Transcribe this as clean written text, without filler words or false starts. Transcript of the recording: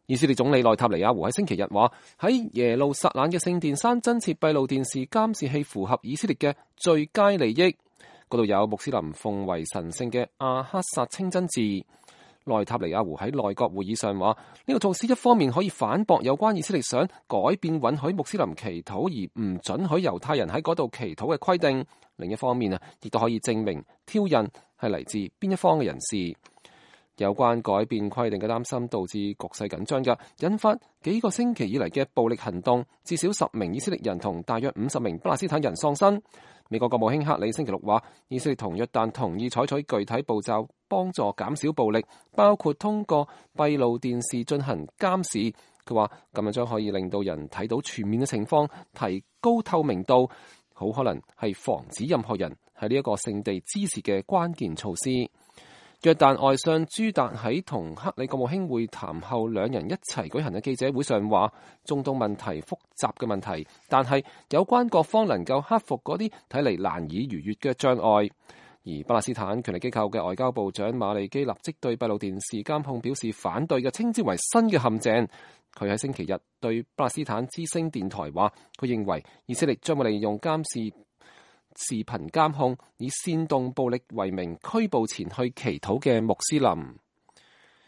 以色列總理內塔尼亞胡喺星期日話，喺耶路撒冷嘅聖殿山增設閉路電視監視器符合以色列嘅最佳利益。嗰度有穆斯林奉為神聖嘅阿克薩清真寺。內塔尼亞胡喺內閣會議上話，呢個措施一方面可以反駁有關以色列想改變允許穆斯林祈禱而唔准許猶太人喺嗰度祈禱嘅規定，另一方面亦都可以證明挑釁係嚟自邊一方嘅人士。有關改變規定嘅擔心導致局勢緊張嘅，引發幾個星期以嚟嘅暴力行動，至少10名以色列人同大約50名巴勒斯坦人喪生。美國國務卿克里星期六話，以色列同約旦同意採取具體步驟幫助減少暴力，包括通過閉路電視進行監視。佢話咁樣將可以令到人睇到全面嘅情況，提高透明度，好可能係防止任何人喺呢一個聖地滋事嘅關鍵措施。約旦外相朱達喺同克里國務卿會談後，兩人一齊舉行嘅記者會上話，中東問題複雜嘅問題，但係有關各方能夠克服嗰啲睇嚟難以逾越嘅障礙。而巴勒斯坦權力機構嘅外交部長馬利基立即對閉路電視監控表示反對嘅，稱之為新嘅陷阱。佢喺星期日對巴勒斯坦之聲電台話，佢認為以色列將會利用監視視頻監控以煽動暴力為名拘捕前去祈禱嘅穆斯林。